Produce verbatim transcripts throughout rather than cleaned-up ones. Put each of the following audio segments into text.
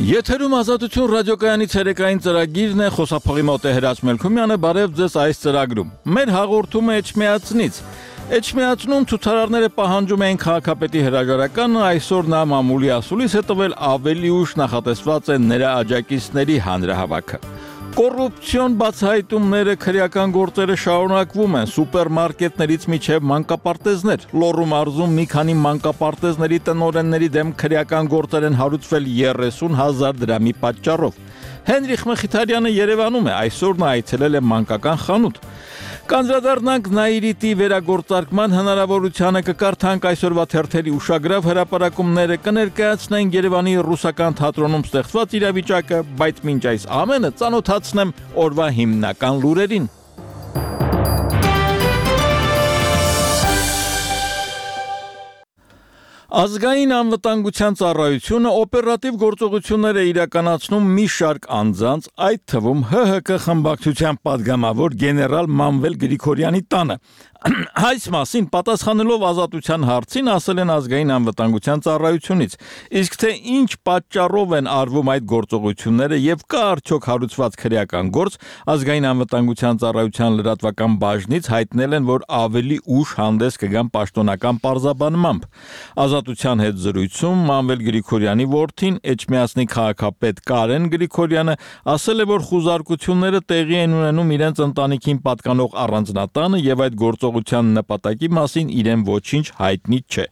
Եթերում ազատություն ռադիոկայանի ցերեկային ծրագիրն է, խոսափողի մոտ է Հրաչ Մելքումյանը, բարև ձեզ այս ծրագրում։ Մեր հաղորդումը Էջմիածնից։ Էջմիածնում ցուցարարները պահանջում էին քաղաքապետի հրաժարականը, այսօր նա մամուլի ասուլիս է տվել ավելի ուշ նախատեսված է նրա աջակիցների հանրահավաքը։ Կոռուպցիոն բացահայտումները, քրեական գործերը շարունակվում են, սուպերմարկետներից միջև մանկապարտեզներ, Լոռու մարզում մի քանի մանկապարտեզների տնօրենների դեմ քրեական գործեր են հարուցվել երեսուն հազար դրամի պատճառով։ Հենրիխ Մխիթարյանը Երևանում է, այսօր նա այցելել է մանկական խանութ։ Կանդրադառնանք Նաիրիտի վերագործարկման հնարավորությանը, կկարդանք այսօրվա թերթերի ուշագրավ հրապարակումները, կներկայացնենք Երևանի ռուսական թատրոնում ստեղծված իրավիճակը, բայց մինչ այս ամենը ծանոթացնեմ օրվա հիմնական լուրերին։ Ազգային անվտանգության ծառայությունը օպերատիվ գործողություններ է իրականացնում մի շարք անձանց, այդ թվում Հ Հ K խմբակցության падգամավոր գեներալ Մանվել Գրիգորյանի տանը։ Այս մասին պատասխանելով Ազատության հարցին ասել են ազգային անվտանգության ծառայությունից, իսկ թե ինչ պատճառով են արվում այդ գործողությունները եւ կա արդյոք հարուցված քրեական գործ, ազգային անվտանգության ծառայության լրատվական բաժնից հայտնել են, որ ավելի ուշ հանդես կգան պաշտոնական պարզաբանմամբ։ Ազատության հետ զրույցում Մանվել Գրիգորյանի որդին Էջմիածնի քաղաքապետ Կարեն Գրիգորյանը ասել է, որ խուզարկությունները տեղի են ունենում իրենց ընտանիքին պատկանող առանձնատանը եւ այդ գործողության նպատակի մասին իրեն ոչինչ հայտնի չէ։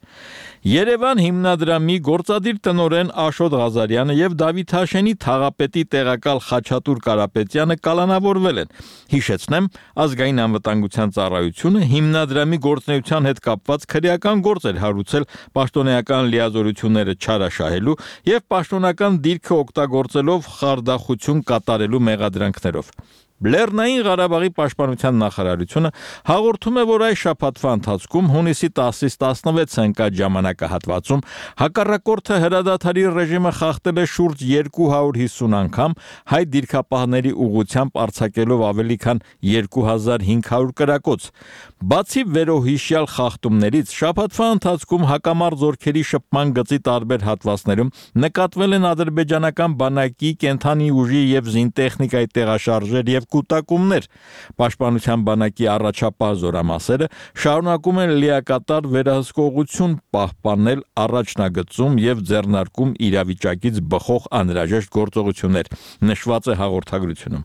Երևան հիմնադրամի գործադիր տնօրեն Աշոտ Ղազարյանը եւ Դավիթ Հաշենի թաղապետի տեղակալ Խաչատուր Կարապետյանը կալանավորվել են։ Հիշեցնեմ, ազգային անվտանգության ծառայությունը հիմնադրամի գործունեության հետ կապված քրեական գործ էր հարուցել պաշտոնեական լիազորությունները չարաշահելու եւ պաշտոնական դիրքը օգտագործելով խարդախություն կատարելու մեղադրանքներով։ Լեռնային Ղարաբաղի պաշտպանության նախարարությունը հաղորդում է, որ այս շաբաթվա ընթացքում հունիսի տասից տասնվեց ընկած ժամանակահատվածում հակառակորդը հրադադարի ռեժիմը խախտել է շուրջ երկու հարյուր հիսուն անգամ, հայ դիրքապահների ուղղությամբ արձակելով ավելի քան երկու հազար հինգ հարյուր կրակոց։ Բացի վերոհիշյալ խախտումներից, շաբաթվա ընթացքում հակամարտ զորքերի շփման գծի տարբեր հատվածներում նկատվել են ադրբեջանական բանակի, կենթանի ուժի եւ զինտեխնիկայի տեղաշարժեր եւ կուտակումներ։ Պաշտպանության բանակի առաջապահ զորամասերը շարունակում են լիակատար վերահսկողություն պահպանել առաջնագծում եւ ձեռնարկում իրավիճակից բխող անհրաժեշտ գործողություններ, նշված է հաղորդագրությունում։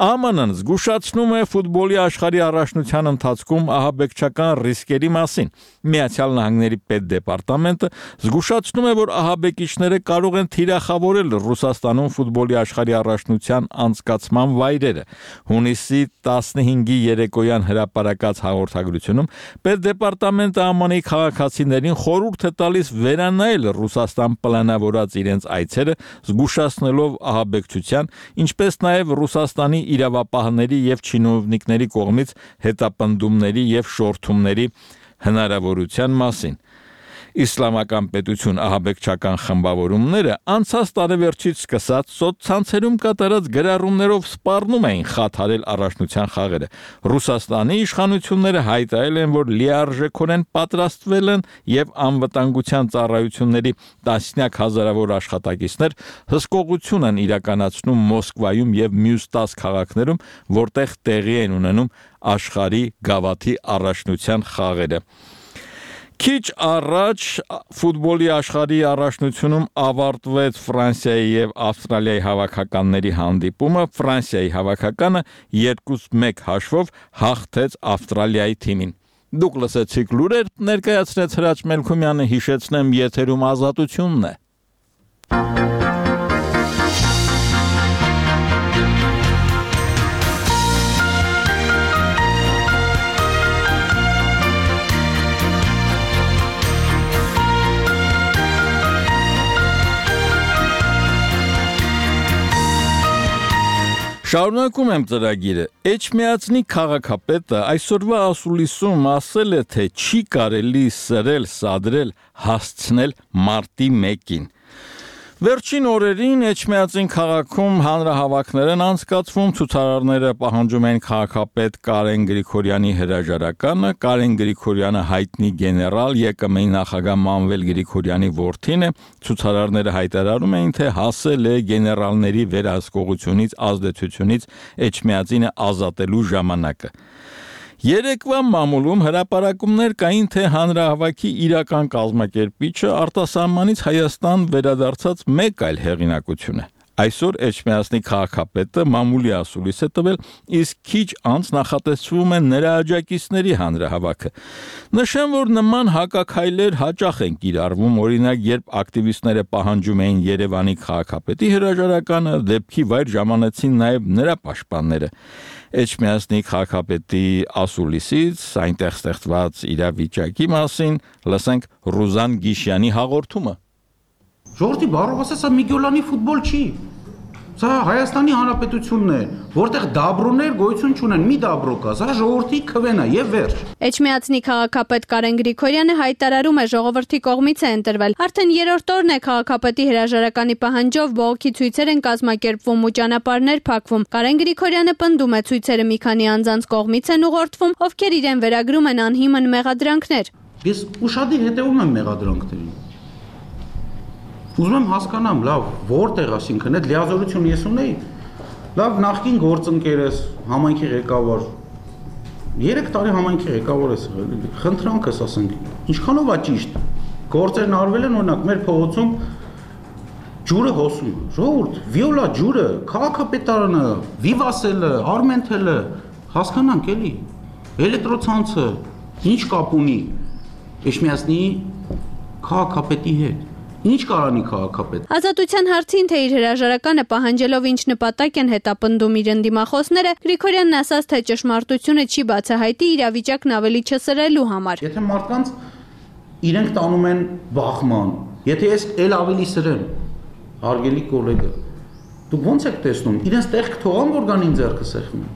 Ა Մ Ն-ն զգուշացնում է ֆուտբոլի աշխարհի առաջնության ընթացքում ահաբեկչական ռիսկերի մասին։ Միացյալ Նահանգների պետդեպարտամենտը զգուշացնում է, որ ահաբեկիչները կարող են թիրախավորել Ռուսաստանում ֆուտբոլի աշխարհի առաջնության անցկացման վայրերը։ Հունիսի տասնհինգի երեկոյան հրապարակած հաղորդագրությունում պետդեպարտամենտը ಆ Մ Ն-ի քաղաքացիներին խորհուրդ է տալիս վերանայել Ռուսաստան պլանավորած իրենց այցերը, զգուշացնելով ահաբեկչության, ինչպես նաև Ռուսաստանի իրավապահների եւ չինովնիկների կողմից հետապնդումների եւ շորթումների հնարավորության մասին։ Իսլամական պետություն ահաբեկչական խմբավորումները անցած տարեվերջից սկսած սոցցանցերում կատարած գրառումներով սպառնում էին խաթարել առաջնության խաղերը։ Ռուսաստանի իշխանությունները հայտարարել են, որ լիարժեքորեն պատրաստվել են եւ անվտանգության ծառայությունների տասնյակ հազարավոր աշխատակիցներ հսկողություն են իրականացնում Մոսկվայում եւ մյուս տասը քաղաքներում, որտեղ տեղի են ունենում աշխարհի գավաթի առաջնության խաղերը։ Քիչ առաջ ֆուտբոլի աշխարհի առաջնությունում ավարտվեց Ֆրանսիայի եւ Ավստրալիայի հավաքականների հանդիպումը։ Ֆրանսիայի հավաքականը երկուս մեկ հաշվով հաղթեց Ավստրալիայի թիմին։ Դուք լսեցիք լուրեր, ներկայացրեց Հրաչ Մելքումյանը, հիշեցնեմ, եթերում Ազատությունն է։ Շարունակում եմ ծրագիրը։ Էջմիածնի քաղաքապետը այսօրվա ասուլիսում ասել է, թե չի կարելի սրել, սադրել, հասցնել մարտի մեկին։ Վերջին օրերին Էջմիածին քաղաքում հանրահավաքներ են անցկացվում, ցուցարարները պահանջում են քաղաքապետ Կարեն Գրիգորյանի հրաժարականը, Կարեն Գրիգորյանը հայտնի գեներալ ԵԿՄ-ի նախագահ Մանվել Գրիգորյանի որդին է, ցուցարարները հայտարարում էին, թե հասել է գեներալների վերահսկողությունից, ազդեցությունից Էջմիածինը ազատելու ժամանակը։ Երեկվա մամուլում հրապարակումներ կային, թե հանրահավաքի իրական կազմակերպիչը արտասահմանից Հայաստան վերադարձած մեկ այլ հեղինակություն է։ Այսօր Էջմիածնի քաղաքապետը մամուլի ասուլիս է տվել, իսկ քիչ անց նախատեսվում է նրա աջակիցների հանրահավաքը։ Նշեմ, որ նման հակաքայլեր հաճախ են կիրառվում, օրինակ, երբ ակտիվիստները պահանջում էին Երևանի քաղաքապետի հրաժարականը, դեպքի վայր ժամանեցին նաև նրա պաշտպանները։ Էջմիածնի քաղաքապետի ասուլիսից այնտեղ ստեղծված իրավիճակի մասին լսենք Ռուզան Գիշյանի հաղորդումը։ Ժողովրդի բառով ասած, սա Միգյոլանի ֆուտբոլ չի։ Սա Հայաստանի Հանրապետությունն է, որտեղ դաբրոներ գոյություն չունեն, մի դաբրո կա, սա ժողովրդի քվեն է եւ վերջ։ Էջմիածնի քաղաքապետ Կարեն Գրիգորյանը հայտարարում է, ժողովրդի կողմից է ընտրվել։ Արդեն երրորդ օրն է քաղաքապետի հրաժարականի պահանջով բողոքի ցույցեր են կազմակերպվում ու ճանապարհներ փակվում։ Կարեն Գրիգորյանը պնդում է, ցույցերը մի քանի անձանց կողմից են ուղղորդվում, ովքեր իրեն վերագրում են անհիմն մեղադրանքներ։ Ես ուշադիր հետևում եմ մեղադրանքներին։ Ուզում եմ հասկանամ, լավ, որտեղ, այսինքն այդ լիազորությունը ես ունեի, լավ, նախկին գործընկեր ես, համայնքի ղեկավար, երեք տարի համայնքի ղեկավար ես եղել, խնդրանքս ասենք, ինչքանով է ճիշտ, գործերն արվել են, օրինակ, մեր փողոցում ջուրը հոսում, ժողովուրդ, վիոլա ջուրը, քաղաքապետարանը, Վիվասելը, Արմենթելը, հասկանանք էլի, էլեկտրոցանցը, ինչ կապ ունի Էջմիածնի քաղաքապետի հետ։ Ինչ կարանի քաղաքապետ։ Ազատության հարցին, թե իր հրաժարականը պահանջելով ինչ նպատակ են հետապնդում իր ընդդիմախոսները, Գրիգորյանն ասաց, թե ճշմարտությունը չի բացահայտի իրավիճակն ավելի չսրելու համար։ Եթե մարդկանց իրենք տանում են բախման, եթե ես ել ավելի սրեմ, հարգելի գոլեգա, դուք ո՞նց եք տեսնում։ Իրենց տեղ կթողան, որ գան ինձ ձեռքը սեղմեն։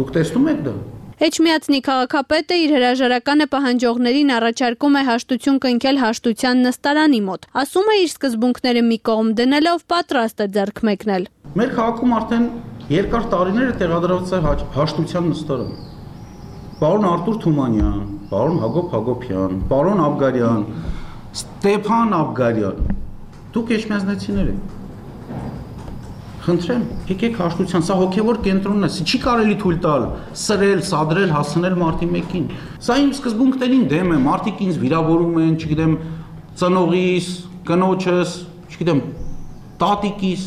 Դուք տեսնում եք դա։ Էջմիածնի քաղաքապետը իր հրաժարականը պահանջողներին առաջարկում է հաշտություն կնքել հաշտության նստարանի մոտ։ Ասում է, իր սկզբունքները մի կողմ դնելով պատրաստ է ձեռք մեկնել։ Մեր քաղաքում արդեն երկար տարիներ է տեղադրված է հաշտության նստարան։ Պարոն Արտուր Թումանյան, պարոն Հակոբ Հակոբյան, պարոն Աբգարյան, Ստեփան Աբգարյան։ Դուք էջմիածնեցիներ եք։ Խնդրեմ, եկեք հաշտության, սա հոգևոր կենտրոնն է, չի կարելի թույլ տալ սրել, սադրել, հասցնել մարդի մեկին։ Սա իմ սկզբունքներին դեմ է, մարդիկ ինձ վիրավորում են, չգիտեմ, ծնողիս, կնոջս, չգիտեմ, տատիկիս,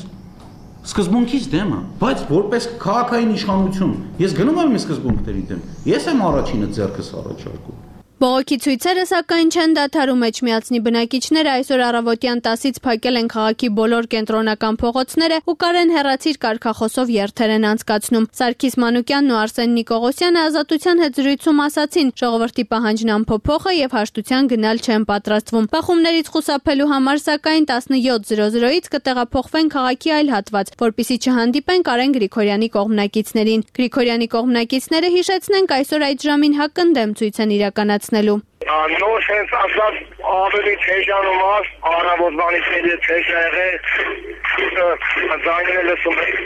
սկզբունքից դեմ է, բայց որպես քաղաքային իշխանություն, ես գնում եմ իմ սկզբունքների դեմ, ես եմ առաջինը ձեռքս առաջարկում։ Բողոքի ցույցերը սակայն չեն դադարում Էջմիածնի բնակիչները այսօր առավոտյան տասից փակել են քաղաքի բոլոր կենտրոնական փողոցները ու Կարեն հեռացիր կարգախոսով երթեր են անցկացնում։ Սարգիս Մանուկյանն ու Արսեն Նիկողոսյանը Ազատության հետ զրույցում ասացին, ժողովրդի պահանջն անփոփոխ է եւ հաշտության գնալ չեն պատրաստվում։ Բախումներից խուսափելու համար սակայն տասնյոթ զրո զրոից կտեղափոխվեն քաղաքի այլ հատված, որպեսզի չհանդիպեն Կարեն Գրիգորյանի կողմնակիցներին։ Գրիգորյանի կողմնակիցները հիշեցնենք այսօր այդ ժամին հակընդդեմ ցույց են իրականացրել Նոր հենց ասած ավելի թեժանում աս, առավոտվանից էլ է թեժ է եղել, ձայները լսում եք։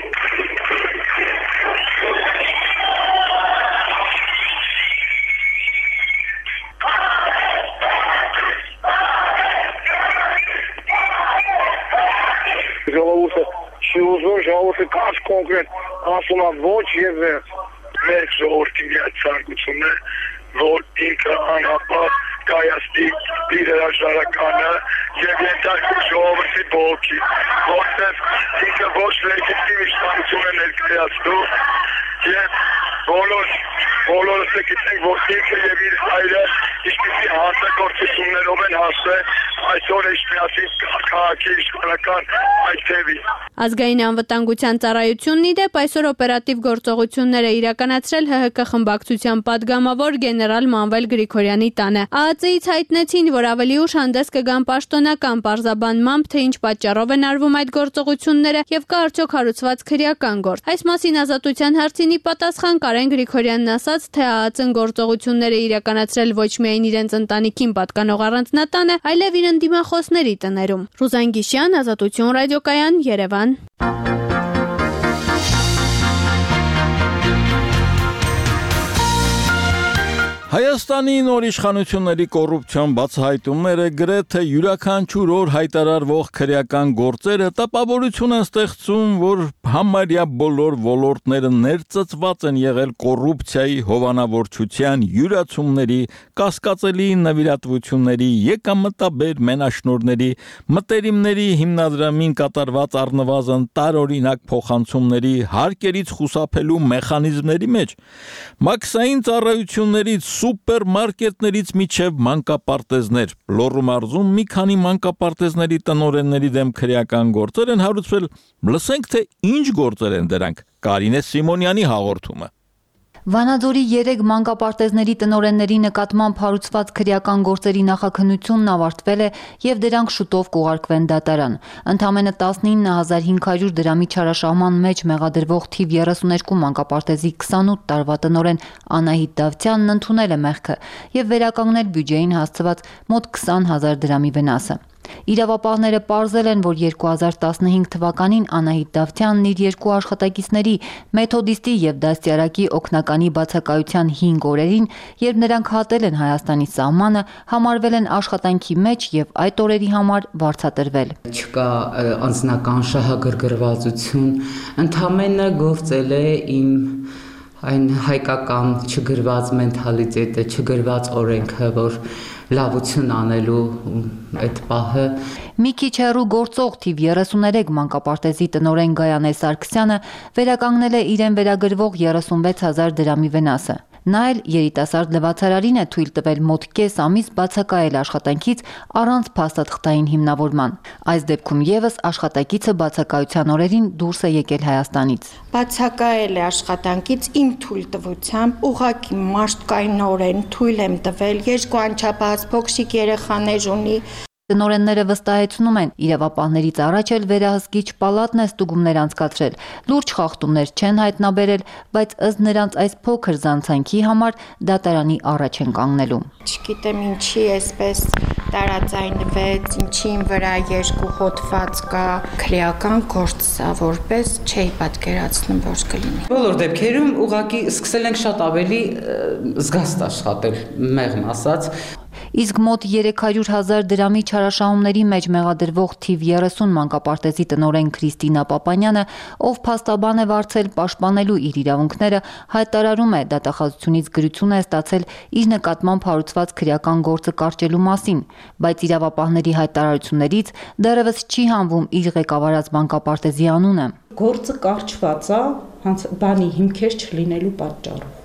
Ժողովուրդը չի ուզում, ժողովուրդը կաց կոնկրետ ասում է ոչ եւ վերջ։ Մեր ժողովրդի այդ ցանկությունն է, որ ինքը անհապաղ կայացնի իր հրաժարականը եւ ենթարկի ժողովրդի բողոքի, որտեղ ինքը ոչ լեգիտիմ իշխանություն է ներկայացնում եւ բոլոր բոլորս գիտենք, որ ինքը եւ իր հայրը ինչպիսի հանցագործություններով են հասել այսօր Էջմիածնի քաղաքի իշխանական այդ թևի։ Ազգային անվտանգության ծառայությունն ի դեպ այսօր օպերատիվ գործողություններ է իրականացրել ՀՀԿ խմբակցության падգամավոր գեներալ Մանվել Գրիգորյանի տանը։ ԱԱԾ-ից հայտնեցին, որ ավելի ուշ հանդես կգան պաշտոնական պարզաբանմամբ, թե ինչ պատճառով են արվում այդ գործողությունները եւ կա արդյոք հարուցված քրեական գործ։ Այս մասին Ազատության հարցինի պատասխան Կարեն Գրիգորյանն ասաց, նշված, թե ԱԱԾ-ն գործողությունները իրականացրել ոչ միայն իրենց ընտանիքին պատկանող առանձնատանը, այլև իր ընդդիմախոսների տներում։ Ռուզան Գիշյան, Ազատություն ռադիոկայան, Երևան։ Հայաստանի նոր իշխանությունների կոռուպցիոն բացահայտումները գրեթե յուրաքանչյուր օր հայտարարվող քրեական գործերը տպավորություն են ստեղծում, որ համարյա բոլոր ոլորտները ներծծված են եղել կոռուպցիայի, հովանավորչության, յուրացումների, կասկածելի նվիրատվությունների, եկամտաբեր մենաշնորհների, մտերիմների հիմնադրամին կատարված առնվազն տարօրինակ փոխանցումների, հարկերից խուսափելու մեխանիզմների մեջ, մաքսային ծառայություններից սուպերմարկետներից միջև մանկապարտեզներ, Լոռու մարզում մի քանի մանկապարտեզների տնօրենների դեմ քրեական գործեր են հարուցվել, լսենք թե ինչ գործեր են դրանք, Կարինե Սիմոնյանի հաղորդումը։ Վանաձորի երեք մանկապարտեզների տնօրենների նկատմամբ հարուցված քրեական գործերի նախաքննությունն ավարտվել է եւ դրանք շուտով կուղարկվեն դատարան։ Ընդամենը տասնինը հազար հինգ հարյուր դրամի չարաշահման մեջ մեղադրվող թիվ երեսուներկու մանկապարտեզի քսանութ տարվա տնօրեն Անահիտ Դավթյանն ընդունել է մեղքը եւ վերականգնել բյուջեին հասցված մոտ քսան հազար դրամի վնասը։ Իրավապահները պարզել են, որ երկու հազար տասնհինգ թվականին Անահիտ Դավթյանն իր երկու աշխատակիցների մեթոդիստի եւ դաստիարակի օգնականի բացակայության հինգ օրերին, երբ նրանք հատել են Հայաստանի սահմանը, համարվել են աշխատանքի մեջ եւ այդ օրերի համար վարձատրվել։ Չկա անձնական շահագրգռվածություն, ընդամենը գործել է իմ այն հայկական չգրված մենթալիտետը, չգրված օրենքը, որ լավություն անելու այդ պահը։ Մի քիչ հեռու գործող թիվ երեսուներեք մանկապարտեզի տնօրեն Գայանե Սարգսյանը վերականգնել է իրեն վերագրվող երեսունվեց հազար դրամի վնասը։ Նա էլ երիտասարդ լվացարարին է թույլ տվել մոտ կես ամիս բացակայել աշխատանքից առանց փաստաթղթային հիմնավորման։ Այս դեպքում եւս աշխատակիցը բացակայության օրերին դուրս է եկել Հայաստանից։ Բացակայել է աշխատանքից իմ թույլտվությամբ, ուղղակի մարդկայնորեն թույլ եմ տվել, երկու անչափահաս փոքրիկ երեխաներ ունի։ Տնօրենները վստահեցնում են, իրավապահներից առաջ էլ վերահսկիչ պալատն է ստուգումներ անցկացրել, լուրջ խախտումներ չեն հայտնաբերել, բայց ըստ նրանց այս փոքր զանցանքի համար դատարանի առաջ են կանգնելու։ Չգիտեմ ինչի էսպես տարածայնվեց, ինչի վրա երկու հոդված կա, քրեական գործ սա, որպես չէի պատկերացնում, որ կլինի։ Բոլոր դեպքերում ուղղակի սկսել ենք շատ ավելի զգաստ աշխատել, մեղմ ասած։ Իսկ մոտ երեք հարյուր հազար դրամի չարաշահումների մեջ մեղադրվող թիվ երեսուն մանկապարտեզի տնօրեն Քրիստինա Պապանյանը, ով փաստաբան է վարձել պաշտպանելու իր իրավունքները, հայտարարում է դատախազությունից գրություն է ստացել իր նկատմամբ հարուցված քրեական գործը կարճելու մասին, բայց իրավապահների հայտարարություններից դեռևս չի հանվում իր ղեկավարած մանկապարտեզի անունը։ Գործը կարճված է, բանի հիմքեր չլինելու պատճառով։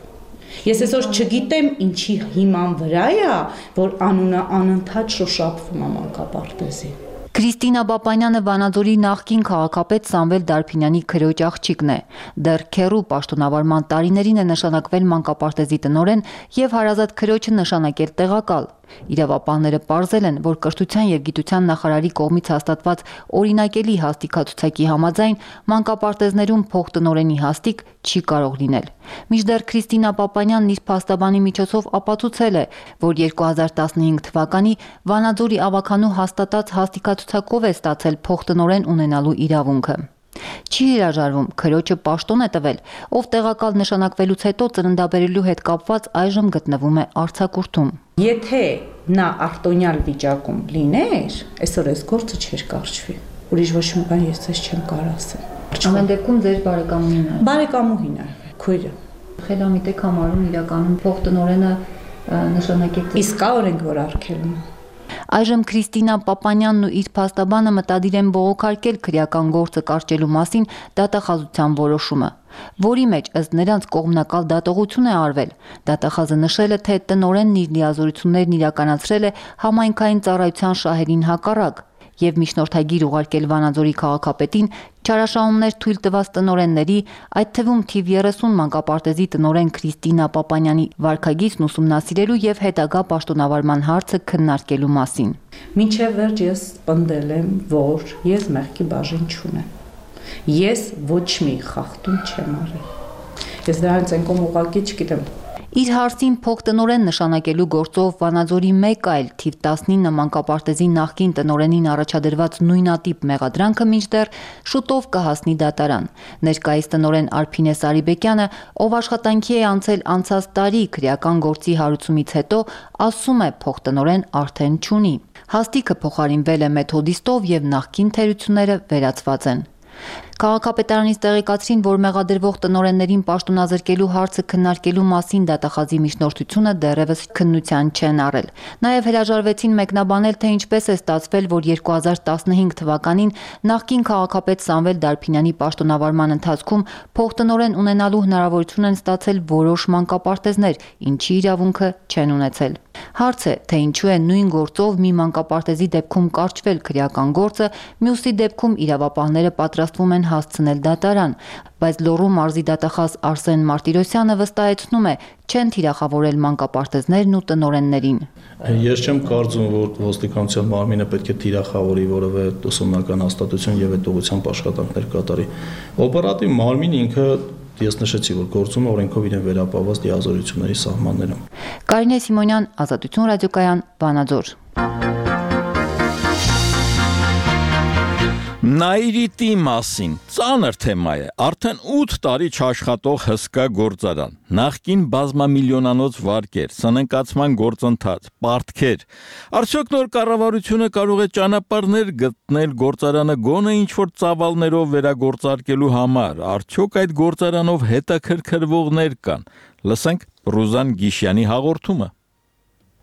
Ես այսօր չգիտեմ ինչի հիման վրա է, որ անունը անընդհատ շոշափվում է մանկապարտեզի։ Քրիստինա Պապանյանը Վանաձորի նախկին քաղաքապետ Սամվել Դարփինյանի քրոջ աղջիկն է։ Դեռ քեռու պաշտոնավարման տարիներին է նշանակվել մանկապարտեզի տնօրեն եւ հարազատ քրոջը նշանակել տեղակալ։ Իրավապահները պարզել են, որ կրթության եւ գիտության նախարարի կողմից հաստատված օրինակելի հաստիքացուցակի համաձայն մանկապարտեզներում փոխտնօրենի հաստիք չի կարող լինել։ Մինչդեռ Քրիստինա Պապանյանն իր փաստաբանի միջոցով ապացուցել է, որ երկու հազար տասնհինգ թվականի Վանաձորի ավականու հաստատած հաստիքացուցակով է ստացել փոխտնօրեն ունենալու իրավունքը։ Չի հրաժարվում, քրոջը պաշտոն է տվել, ով տեղակալ նշանակվելուց հետո ծննդաբերելու հետ կապված այժմ գտնվում է արձակուրդում։ Եթե նա արտոնյալ վիճակում լիներ, այսօր այս գործը չէր կարճվի։ Ուրիշ ոչ մի բան ես ես չեմ կարող ասել։ Ամեն դեպքում ձեր բարեկամուհին է։ Բարեկամուհին է, քույրը։ Խելամիտ եք համարում իրականում փոխտնօրենը նշանակել։ Իսկ կա օրենք, որ արգելում։ Այժմ Քրիստինա Պապանյանն ու իր փաստաբանը մտադիր են բողոքարկել քրեական գործը կարճելու մասին դատախազության որոշումը, որի մեջ ըստ նրանց կողմնակալ դատողություն է արվել։ Դատախազը նշել է, թե տնօրենն իր լիազորություններն իրականացրել է համայնքային ծառայության շահերին հակառակ եւ միջնորդագիր ուղարկել Վանաձորի քաղաքապետին չարաշահումներ թույլ տված տնօրենների, այդ թվում թիվ երեսուն մանկապարտեզի տնօրեն Քրիստինա Պապանյանի վարքագիծն ուսումնասիրելու եւ հետագա պաշտոնավարման հարցը քննարկելու մասին։ Մինչև վերջ ես պնդել եմ, որ ես մեղքի բաժին չունեմ։ Ես ոչ մի խախտում չեմ արել։ Ես դրանից ենկոմ ուղղակի չգիտեմ։ Իր հարցին փոխտնօրեն նշանակելու գործով Վանաձորի մեկ այլ թիվ տասնինը մանկապարտեզի նախկին տնօրենին առաջադրված նույնատիպ մեղադրանքը մինչդեռ շուտով կհասնի դատարան։ Ներկայիս տնօրեն Արփինե Սարիբեկյանը, ով աշխատանքի է անցել անցած տարի քրեական գործի հարուցումից հետո, ասում է փոխտնօրեն արդեն չունի։ Հաստիքը փոխարինվել է մեթոդիստով եւ նախկին թերությունները վերացված են։ Քաղաքապետարանից տեղեկացրին, որ մեղադրվող տնօրեններին պաշտոնազրկելու հարցը քննարկելու մասին դատախազի միջնորդությունը դեռևս քննության չեն առել։ Նաև հրաժարվեցին մեկնաբանել, թե ինչպես է ստացվել, որ երկու հազար տասնհինգ թվականին նախկին քաղաքապետ Սամվել Դարփինյանի պաշտոնավարման ընթացքում փոխտնօրեն ունենալու հնարավորություն են ստացել որոշ մանկապարտեզներ, ինչի իրավունքը չեն ունեցել։ Հարց է, թե ինչու է նույն գործով մի մանկապարտեզի դեպքում կարճվել քրեական գործը, մյուսի դեպքում իրավապահները պատրաստվում են հասցնել դատարան, բայց Լոռու մարզի դատախազ Արսեն Մարտիրոսյանը վստահեցնում է, չեն թիրախավորել մանկապարտեզներն ու տնօրեններին։ Ես չեմ կարծում, որ ոստիկանության մարմինը պետք է թիրախավորի որևէ ուսումնական հաստատություն եւ այդ ուղղությամբ աշխատանքներ կատարի։ Օպերատիվ մարմինը ինքը Ես նշեցի, որ գործում օրենքով իրեն վերապահված դիազորությունների սահմաններում։ Կարինե Սիմոնյան, Ազատություն ռադիոկայան, Վանաձոր։ Նաիրիտի մասին ծանր թեմա է, արդեն ութ տարի չաշխատող հսկա գործարան, նախկին բազմամիլիոնանոց վարկեր, սննկացման գործընթաց, պարտքեր, արդյոք նոր կառավարությունը կարող է ճանապարհներ գտնել գործարանը գոնե ինչ-որ ծավալներով վերագործարկելու համար, արդյոք այդ գործարանով հետաքրքրվողներ կան, լսենք Ռուզան Գիշյանի հաղորդումը։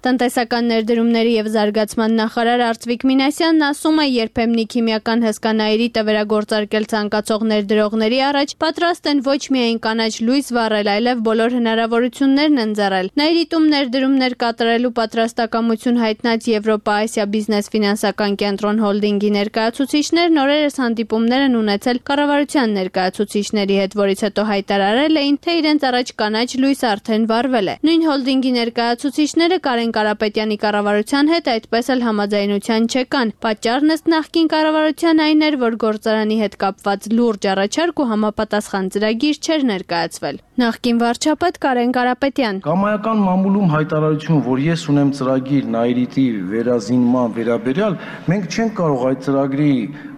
Տնտեսական ներդրումների եւ զարգացման նախարար Արծվիկ Մինասյանն ասում է, երբեմնի քիմիական հսկանայրիտը վերագործարկել ցանկացող ներդրողների առաջ պատրաստ են ոչ միայն կանաչ լույս վառել, այլև բոլոր հնարավորություններն ընձեռել։ Նաիրիտում ներդրումներ կատարելու պատրաստակամություն հայտնած Եվրոպա-Ասիա բիզնես ֆինանսական կենտրոն հոլդինգի ներկայացուցիչներն օրերս հանդիպումներ են ունեցել կառավարության ներկայացուցիչների հետ, որից հետո հայտարարել էին, թե իրենց առաջ կանաչ լույս արդեն վառվել է։ Նույն հոլդինգի ներկայացուցիչները Կարեն Կարապետյանի կառավարության հետ այդպես էլ համաձայնության չեկան։ Պատճառն ըստ նախկին կառավարության այն էր, որ գործարանի հետ կապված լուրջ առաջարկ ու համապատասխան ծրագիր չէր ներկայացվել։ Նախկին վարչապետ Կարեն Կարապետյան. Կամայական մամուլում հայտարարություն, որ ես ունեմ ծրագիր Նաիրիտի վերազինման վերաբերյալ, մենք չենք կարող այդ ծրագրի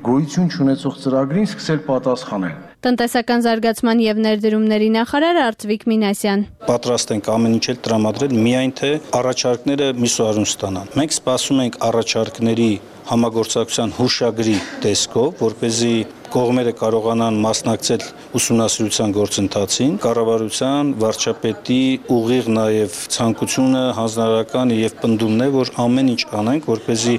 գոյություն չունեցող ծրագրին սկսել պատասխանել։ Տնտեսական զարգացման եւ ներդրումների նախարար Արծվիկ Մինասյան. Պատրաստ ենք ամեն ինչ տրամադրել, միայն թե առաջարկները միսուարուն ստանան։ Մենք սպասում ենք առաջարկների համագործակցության հուշագրի տեսքով, որպեսզի կողմերը կարողանան մասնակցել ուսումնասիրության գործընթացին, կառավարության, վարչապետի ուղիղ նաև ցանկությունը հանձնարարական եւ պնդումն է, որ ամեն ինչ անենք, որպեսզի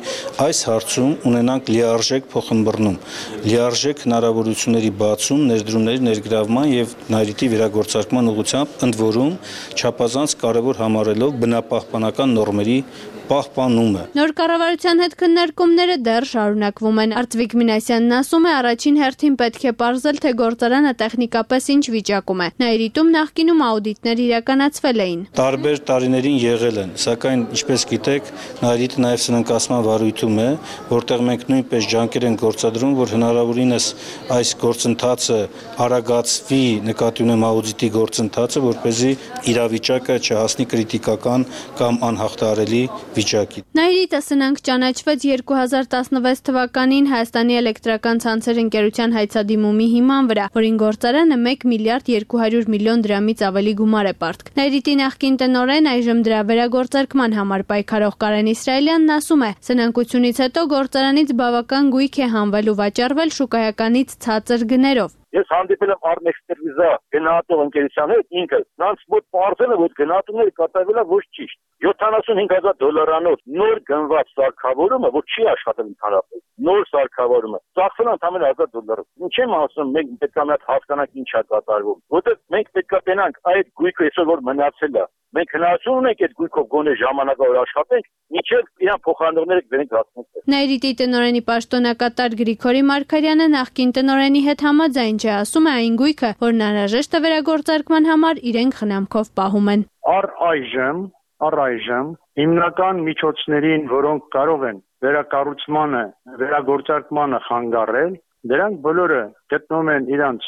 այս հարցում ունենանք լիարժեք փոխմբռնում, լիարժեք հնարավորությունների բացում, ներդրումների ներգրավման եւ Նաիրիտի վերագործարկման ուղղությամբ, ընդ որում չափազանց կարեւոր համարելով բնապահպանական նորմերի պահպանումը։ Նոր կառավարության հետ քննարկումները դեռ շարունակվում են։ Արծվիկ Մինասյանն ասում է, առաջին հերթին պետք է պարզել, թե գործարանը տեխնիկապես ինչ վիճակում է։ Նաիրիտում նախկինում աուդիտներ իրականացվել էին։ Տարբեր տարիներին եղել են, սակայն ինչպես գիտեք, Նաիրիտը նաև սննկացման վարույթում է, որտեղ մենք նույնպես ջանքեր ենք գործադրում, որ հնարավորինս այս գործընթացը արագացվի, նկատի ունեմ աուդիտի գործընթացը, որպեսզի իրավիճակը չհասնի կրիտիկական կամ անհաղթահարելի վիճակի։ Նաիրիտը սնանկ ճանաչվեց երկու հազար տասնվեց թվականին Հայաստանի էլեկտրական ցանցեր ընկերության հայցադիմումի հիման վրա, որին գործարանը մեկ միլիարդ երկու հարյուր միլիոն դրամից ավելի գումար է պարտք։ Նաիրիտի նախկին տնօրեն, այժմ դրա վերագործարկման համար պայքարող Կարեն Իսրայելյանն ասում է, սնանկությունից հետո գործարանից բավական գույք է հանվել ու վաճառվել շուկայականից ցածր գներով։ Ես հանդիպել եմ Արմեքսպերվիզա գնահատող ընկերության հետ, ինքը նրանց մոտ պարզել է, որ գնահատումները կատարվել է ոչ ճիշտ։ յոթանասուն հինգ հազար դոլարանոց նոր գնված սարքավորումը, որ չի աշխատել ընդհանրապես, նոր սարքավորումը, ծախսել ընդամենը հազար դոլար։ Ինչ եմ ասում, մենք պետք է մի հատ հասկանանք ինչ է կատարվում, որտեղ մենք պետք է տենանք այդ գույքը այսօր որ մնացել է։ Մենք հնարավորություն ունենք այդ գույքով գոնե ժամանակավոր աշխատենք, մինչև իրան փոխանցողները գնենք հասնենք։ Նաիրիտի տնօրենի պաշտոնակատար Գրիգորի Մարգարյանը նախկին տնօրենի հետ համաձայն չէ, ասում է այն գույքը, որն անհրաժեշտ է վերագործարկման համար, իրենք խնամքով պահում են։ Առ այժմ, առ այժմ հիմնական միջոցներին, որոնք կարող են վերակառուցմանը, վերագործարկմանը խանգարել, դրանք բոլորը գտնվում են իրանց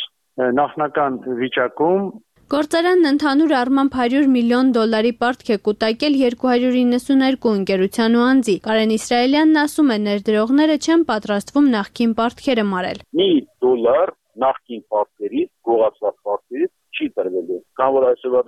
նախնական վիճակում։ Գործարանն ընդհանուր առմամբ հարյուր միլիոն դոլարի պարտք է կուտակել երկու հարյուր իննսուներկու ընկերության ու անձի։ Կարեն Իսրայելյանն ասում է, ներդրողները չեն պատրաստվում նախկին պարտքերը մարել։ Մի դոլար նախկին պարտքերից, գողացված պարտքերից չի տրվելու։ Կամ որ այսօրվա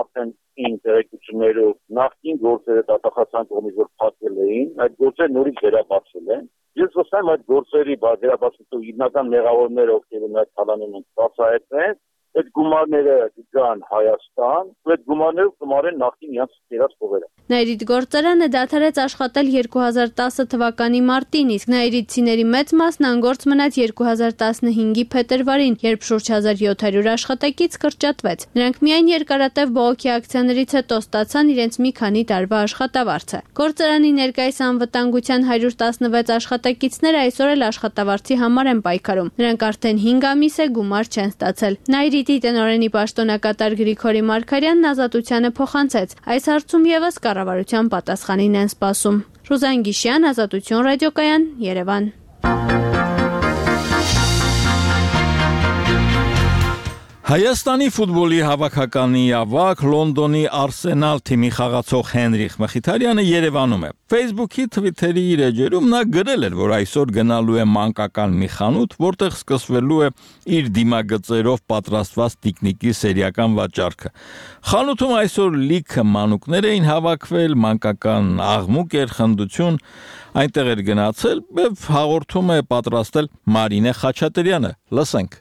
արդեն ինտերեկություններով նախկին գործերը դատախազության կողմից որ փակվել էին, այդ գործերը նորից վերաբացվել են։ Ես վստահ եմ այդ գործերի վերաբացվելու հիմնական մեղավորները ովքեր են այդ թալանում են բացահայտվեն, այդ գումարները գան Հայաստան, այդ գումարներով կմարեն նախկին իրենց կերած փողերը։ Նաիրիդ գործարանը դադարեց աշխատել երկու հազար տասը թվականի մարտին, իսկ նաիրիդցիների մեծ մասն անգործ մնաց երկու հազար տասնհինգի փետրվարին, երբ շուրջ հազար յոթ հարյուր աշխատակից կրճատվեց։ Նրանք միայն երկարատև բողոքի ակցիաներից հետո ստացան իրենց մի քանի տարվա աշխատավարձը։ Գործարանի ներկայիս անվտանգության հարյուր տասնվեց աշխատակիցները այսօր էլ աշխատավարձի համար են պայքարում։ Նրանք արդեն հինգ ամիս է գումար չեն ստացել։ Նաիրիդի տնօրենի պաշտոնակատար Գրիգորի Մարգարյանն Ազատությանը փոխանցեց։ Այս հարցում եւս կառավարության պատասխանին են սպասում։ Ռուզան Գիշյան, Ազատություն ռադիոկայան, Երևան։ Հայաստանի ֆուտբոլի հավաքականի ավակ Լոնդոնի Արսենալ թիմի խաղացող Հենրիխ Մխիթարյանը Երևանում է։ Facebook-ի Twitter-ի իր էջերում նա գրել էր, որ այսօր գնալու է մանկական մի խանութ, որտեղ սկսվելու է իր դիմագծերով պատրաստված տիկնիկի սերիական վաճառքը։ Խանութում այսօր լիքը մանուկներ էին հավաքվել, մանկական աղմուկ էր, խնդություն, այնտեղ էր գնացել, եւ հաղորդում է պատրաստել Մարինե Խաչատրյանը։ Լսենք։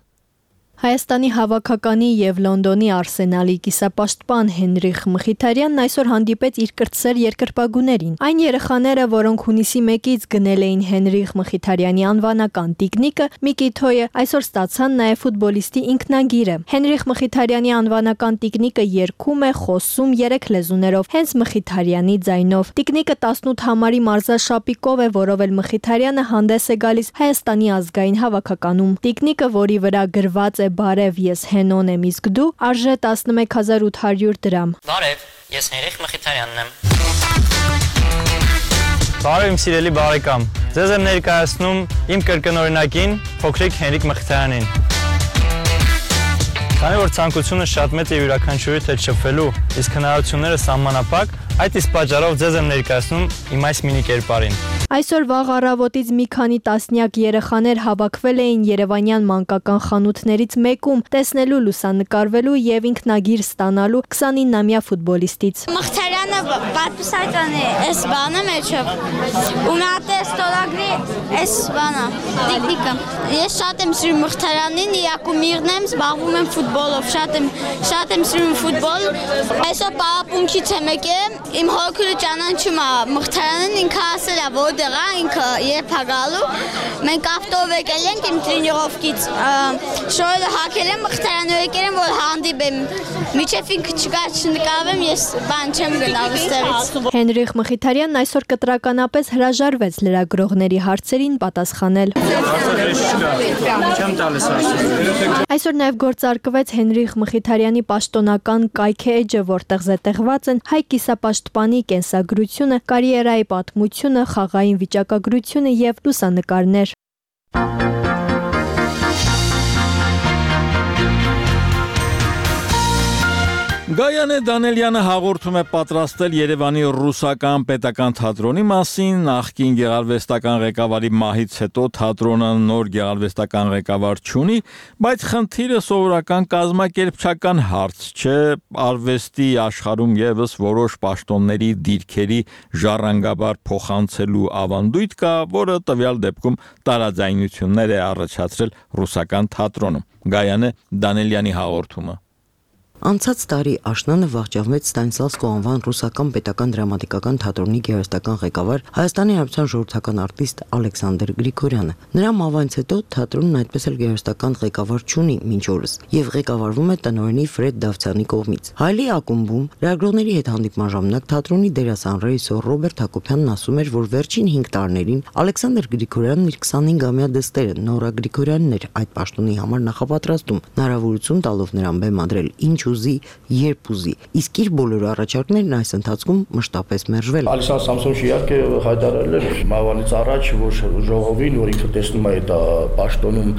Հայաստանի հավաքականի եւ Լոնդոնի Արսենալի կիսապաշտպան Հենրիխ Մխիթարյանն այսօր հանդիպեց իր կրտսեր երկրպագուներին։ Այն երեխաները, որոնք հունիսի մեկից գնել էին Հենրիխ Մխիթարյանի անվանական տիկնիկը, Միկիթոյը, այսօր ստացան նաեւ ֆուտբոլիստի ինքնագիրը։ Հենրիխ Մխիթարյանի անվանական տիկնիկը երգում է, խոսում երեք լեզուներով, հենց Մխիթարյանի ձայնով։ Տիկնիկը տասնութ համարի մարզաշապիկով է, որով էլ Մխիթարյանը հանդես է գալիս Հայաստանի ազգային հավաքականում։ Տիկնիկը, որի վրա գրված է Բարև, ես Հենոն եմ, իսկ դու, արժե տասնմեկ հազար ութ հարյուր դրամ։ Բարև, ես Հենրիխ Մխիթարյանն եմ։ Բարև իմ սիրելի բարեկամ, ձեզ եմ ներկայացնում իմ կրկնօրինակին փոքրիկ Հենրիխ Մխիթարյանին։ Քանի որ ցանկությունը շատ մեծ է յուրաքանչյուրի հետ շփվելու, իսկ հնարավորությունները սահմանափակ, այդ իսկ պատճառով ձեզ եմ ներկայացնում իմ այս մինի կերպարին։ Այսօր վաղ առավոտից մի քանի տասնյակ երեխաներ հավաքվել էին երևանյան մանկական խանութներից մեկում, տեսնելու, լուսանկարվելու եւ ինքնագիր ստանալու քսանինամյա ֆուտբոլիստից։ Մխիթարյանը պատմասական է, այս բանը մեջով։ Ու նա տեստորագրի այս բանը, տիկնիկը։ Ես շատ եմ սիրում Մխիթարյանին, Յակումիրն եմ, զբաղվում եմ ֆուտբոլով, շատ եմ շատ եմ սիրում ֆուտբոլ։ Այսօր պարապմունքից եմ եկել, իմ հոգու ճանաչում է Մխիթարյանին, ինքը ասել է, որ դեղա ինքը երբ է գալու, մենք ավտով եկել ենք իմ տրենիրովկից, շորերը հակել եմ, Մխիթարյանը եկել եմ, որ հանդիպեմ, միջև ինքը չկա չնկարվեմ, ես բան չեմ գնալ ստեղից։ Հենրիխ Մխիթարյանն այսօր կտրականապես հրաժարվեց լրագրողների հարցերին պատասխանել։ Այսօր նաև գործարկվեց Հենրիխ Մխիթարյանի պաշտոնական կայքը էջը, որտեղ զետեղված են հայ կիսապաշտպանի կենսագրությունը, կարիերայի պատմությունը, խաղային վիճակագրությունը եւ լուսանկարներ։ Գայանե Դանելյանը հաղորդում է պատրաստել Երևանի ռուսական պետական թատրոնի մասին, նախկին գեղարվեստական ղեկավարի մահից հետո թատրոնը նոր գեղարվեստական ղեկավար չունի, բայց խնդիրը սովորական կազմակերպչական հարց չէ, արվեստի աշխարհում եւս որոշ պաշտոնների դիրքերի ժառանգաբար փոխանցելու ավանդույթ կա, որը տվյալ դեպքում տարաձայնություններ է առաջացրել ռուսական թատրոնում։ Գայանե Դանելյանի հաղորդումը։ Անցած տարի աշնանը վախճանվեց Ստանիսլավսկու անվան ռուսական պետական դրամատիկական թատրոնի գեղարվեստական ղեկավար Հայաստանի Հանրապետության ժողովրդական արտիստ Ալեքսանդր Գրիգորյանը։ Նրա մահվանից հետո թատրոնն այդպես էլ գեղարվեստական ղեկավար չունի մինչ օրս եւ ղեկավարվում է տնօրենի Ֆրեդ Դավթյանի կողմից։ Հայլի ակումբում լրագրողների հետ հանդիպման ժամանակ թատրոնի դերասան ռեժիսոր Ռոբերտ Հակոբյանն ասում էր, որ վերջին հինգ տարիներին Ալեքսանդր Գրիգորյանն իր քսանհինգամյա դստերը Նորա Գրիգորյանն էր այդ պաշտոնի համար նախապատրաստում, հնարավորություն տալով նրան բեմադրել ինչ ուզի, երբ ուզի։ Իսկ իր բոլոր առաջարկներն այս ընթացքում մշտապես մերժվել։ Ալիսան Սամսոնը իհարկե հայտարարել էր մավանից առաջ, որ ժողովին, որ ինքը տեսնում է դա պաշտոնում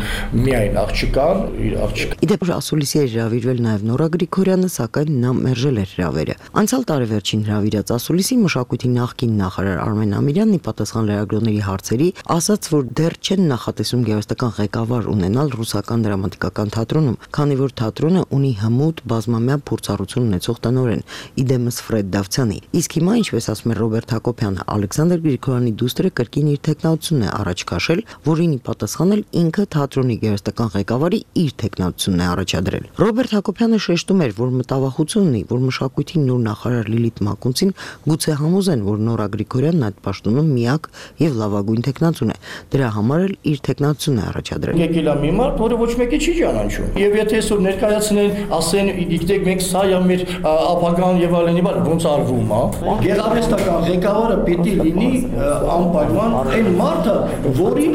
միայն աղջկան, իր աղջկան։ Իդեպ ասուլիսի էր հրավիրվել նաև Նորա Գրիգորյանը, սակայն նա մերժել էր հրավերը։ Անցյալ տարեվերջին հրավիրած ասուլիսի մշակույթի նախկին նախարար Արմեն Ամիրյանն ի պատասխան լրագրողների հարցերի ասաց, որ դեռ չեն նախատեսում գեղարվեստական ղեկավար ունենալ ռուսական դրամատիկական թատրոնում, քանի որ թատրոնը ունի հմուտ բազմամյա փորձառություն ունեցող տնօրեն՝ Իդեմս Ֆրեդ Դավթյանի։ Իսկ հիմա, ինչպես ասում է Ռոբերտ Հակոբյանը, Ալեքսանդր Գրիգորյանի դուստրը կրկին իր տեխնացությունն է առաջ քաշել, որին ի պատասխան էլ ինքը թատրոնի գեղարվեստական ղեկավարի իր տեխնացությունն է առաջադրել։ Ռոբերտ Հակոբյանը շեշտում էր, որ մտավախություն ունի, որ մշակույթի նոր նախարար Լիլիթ Մակունցին գուցե համոզեն, որ Նորա Գրիգորյանն այդ պաշտոնում միակ եւ լավագույն տեխնացուն է։ Դրա համար էլ իր տեխնացությունն է առաջադրել։ Եկել է մի մարդ, որը ոչ մեկի չի ճանաչում։ Եվ եթե այսօր ներկայացնեն, ասեն, գիտեք, մենք սա է մեր ապագան եւ այլն, ոնց արվում, հա։ Գեղարվեստական ղեկավարը պիտի լինի անպայման այն մարդը, որի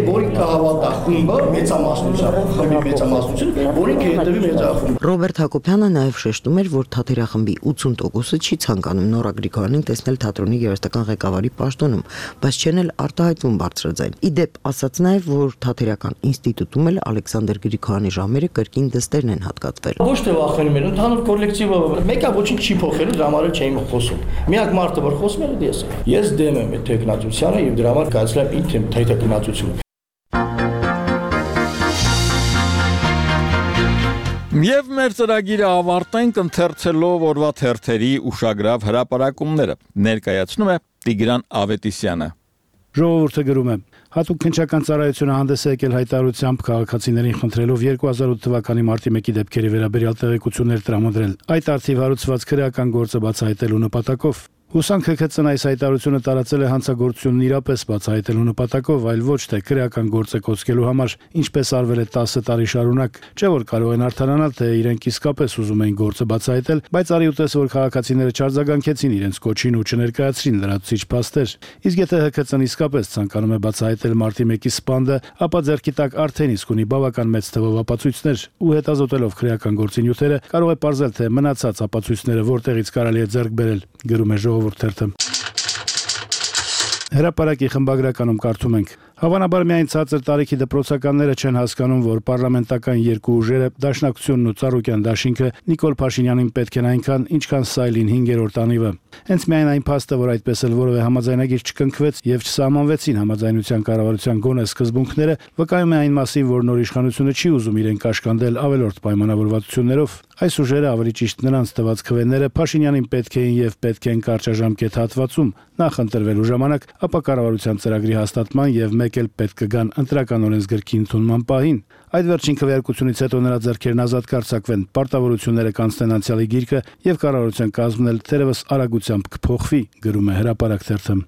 որի կհավատա խումբը մեծամասնությամբ, խմբի մեծամասնություն, որին կհետևի մեծախումբ։ Ռոբերտ Հակոբյանը նաև շեշտում էր, որ թատերախմբի ութսուն տոկոսը չի ցանկանում Նորա Գրիգորյանին տեսնել թատրոնի գեղարվեստական ղեկավարի պաշտոնում, բայց չեն էլ արտահայտվում բարձրաձայն։ Իդեպ ասաց նաև, որ թատերական ինստիտուտում էլ Ալեքսանդր Գրիգորյանի ժամերը կրկին դստերն են հատկացվել։ Ոչ թե վախենում են, ընդհանուր կոլեկտիվը մեկը ոչինչ չի փոխելու, դրա համար չէին խոսում։ Միակ մարդը, որ խոսում էր, ես եմ։ Ես դեմ եմ այդ տեխնացությանը եւ դրա համար կայացրել եմ ինքն իմ տեխնացությունը։ Եվ մեր ծրագիրը ավարտենք ընթերցելով օրվա թերթերի ուշագրավ հրապարակումները։ Ներկայացնում է Տիգրան Ավետիսյանը։ Ժողովուրդը գրում է. հատուկ քննչական ծառայությունը հանդես է եկել հայտարարությամբ քաղաքացիներին խնդրելով երկու հազար ութ թվականի մարտի մեկի դեպքերի վերաբերյալ տեղեկություններ տրամադրել։ Այդ արդիվ հարուցված քրեական գործը բացահայտելու նպատակով Հուսանք ՀՔՑ-ն այս հայտարարությունը տարածել է հանցագործությունն իրապես բացահայտելու նպատակով, այլ ոչ թե քրեական գործը կոծկելու համար, ինչպես արվել է տասը տարի շարունակ, չէ որ կարող են արդարանալ, թե իրենք իսկապես ուզում էին գործը բացահայտել, բայց արի ուտես որ քաղաքացիները չարձագանքեցին իրենց կոչին ու չներկայացրին լրացուցիչ փաստեր։ Իսկ եթե ՀՔՑ-ն իսկապես ցանկանում է բացահայտել մարտի մեկի սպանդը, ապա ձեռքի տակ արդեն իսկ ունի բավական մեծ թվով ապացույցներ ու հետազոտելով քրեական գործի նյութերը կարող է ողջել, թե մնացած ապացույցները որտեղից կարելի է ձեռք բերել, գրում է ժողովուրդ։ Հրապարակի խմբագրականում կարդում ենք. Հավանաբար միայն ցածր տարիքի դպրոցականները չեն հասկանում, որ պարլամենտական երկու ուժերը, Դաշնակցությունն ու Ծառուկյան դաշինքը Նիկոլ Փաշինյանին պետք են այնքան, ինչքան Սայլին հինգերորդ անիվը։ Հենց միայն այն փաստը, որ այդպես էլ որևէ համաձայնագիր չկնքվեց եւ չսահմանվեցին համաձայնության կառավարության գոնե սկզբունքները, վկայում է այն մասին, որ նոր իշխանությունը չի ուզում իրեն կաշկանդել ավելորդ պայմանավորվածություններով։ Այս ուժերը, ավելի ճիշտ նրանց տված քվեները, Փաշինյանին պետք էին եւ պետք են կարճաժամկետ հատվածում նախ ընտրվելու ժամանակ, ապա կառավարության ծրագրի հաստատման եւ մեկ էլ պետք կգան ընտրական օրենսգրքի ընդունման պահին։ Այդ վերջին քվեարկությունից հետո նրա ձեռքերն ազատ կարձակվեն, պարտավորությունները կանցնեն անցյալի գիրկը եւ կառավարության կազմն էլ թերևս արագությամբ կփոխվի, գրում է Հրապարակ թերթը։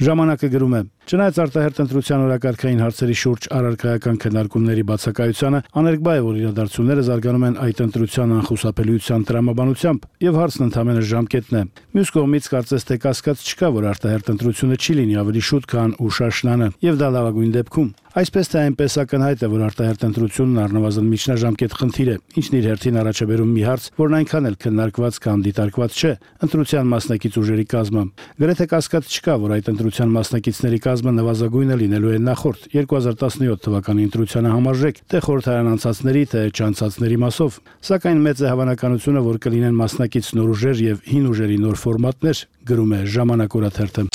Ժամանակը գրում է. Չնայած արտահերթ ընտրության օրակարգային հարցերի շուրջ առարկայական քննարկումների բացակայությանը, աներկբա է, որ իրադարձությունները զարգանում են այդ ընտրության անխուսափելիության տրամաբանությամբ, եւ հարցն ընդհանրապես ժամկետն է։ Մյուս կողմից կարծես թե կասկած չկա, որ արտահերթ ընտրությունը չի լինի ավելի շուտ, քան ուշաշնանը, եւ դա լավագույն դեպքում։ Այսպես թե այնպես ակնհայտ է, որ արտահերթ ընտրությունն առնվազն միջնաժամկետ խնդիր է, ինչն իր հերթին առաջ է բերում մի հարց, որն այնքան էլ քննարկված կամ դիտարկված չէ՝ ընտրության մասնակից ուժերի կազմը։ Գրեթե կասկած չկա, որ այդ ընտրության մասնակիցների կազմը նվազագույնը լինելու է նախորդ երկու հազար տասնյոթ թվականի ընտրությանը համարժեք, թե խորհրդարան անցածների, թե չանցածների մասով։ Սակայն մեծ է հավանականությունը, որ կլինեն մասնակից նոր ուժեր եւ հին ուժերի նոր ֆորմատներ, գրում է Ժամանակ օրաթերթը։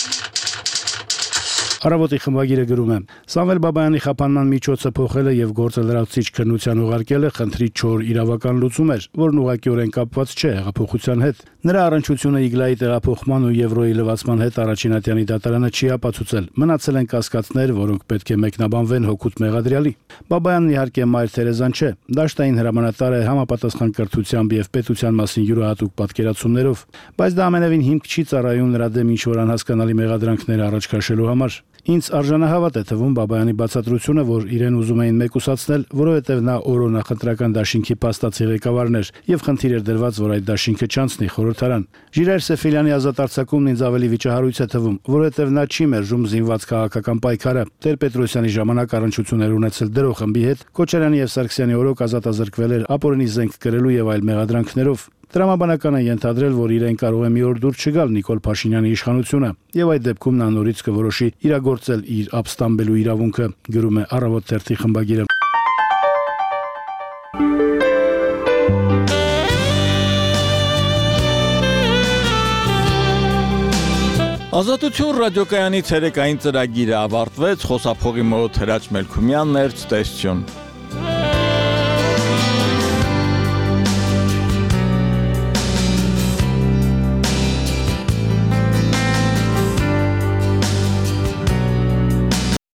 Առավոտի խմբագիրը գրում է. Սամվել Բաբայանի խափանման միջոցը փոխելը եւ գործը լրացուցիչ քննության ուղարկելը խնդրի չոր իրավական լուծում էր, որն ուղղակիորեն կապված չէ հեղափոխության հետ։ Նրա առնչությունը Իգլայի տեղափոխման ու Եվրոյի լվացման հետ առաջինատյանի դատարանը չի ապացուցել։ Մնացել են կասկածներ, որոնք պետք է մեկնաբանվեն հօգուտ մեղադրյալի։ Բաբայանն իհարկե Մայր Թերեզան չէ, դաշտային հրամանատար է համապատասխան կրթությամբ եւ պետության մասին յուրահատուկ պատկերացումներով, բայց դա ամենևին հիմք չի ծառայում նրա դեմ ինչ-որ անհասկանալի մեղադրանքներ առաջ քաշելու համար։ Ինձ արժանահավատ է թվում Բաբայանի բացատրությունը, որ իրեն ուզում էին մեկուսացնել, որովհետև նա օրո նախընտրական դաշինքի փաստացի ղեկավարն էր եւ խնդիր էր դրված, որ այդ դաշինքը չանցնի խորհրդարան։ Ժիրայր Սեֆիլյանի ազատ արձակումն ինձ ավելի վիճահարույց է թվում, որովհետև նա չի մերժում զինված քաղաքական պայքարը։ Տեր-Պետրոսյանի ժամանակ առնչություններ ունեցել դրող խմբի հետ, Քոչարյանի եւ Սարգսյանի օրոք ազատազրկվել էր ապօրինի զենք կրելու եւ այլ մեղադրանքներով։ Տրամաբանական է ենթադրել, որ իրեն կարող է մի օր դուր չգալ Նիկոլ Փաշինյանի իշխանությունը, եւ այդ դեպքում նա նորից կորոշի իրագործել իր ապստամբելու իրավունքը, գրում է Առավոտ թերթի խմբագիրը։ Ազատություն ռադիոկայանի ցերեկային ծրագիրը ավարտվեց, խոսափողի մոտ Հրաչ Մելքումյանն էր, ցտեսություն։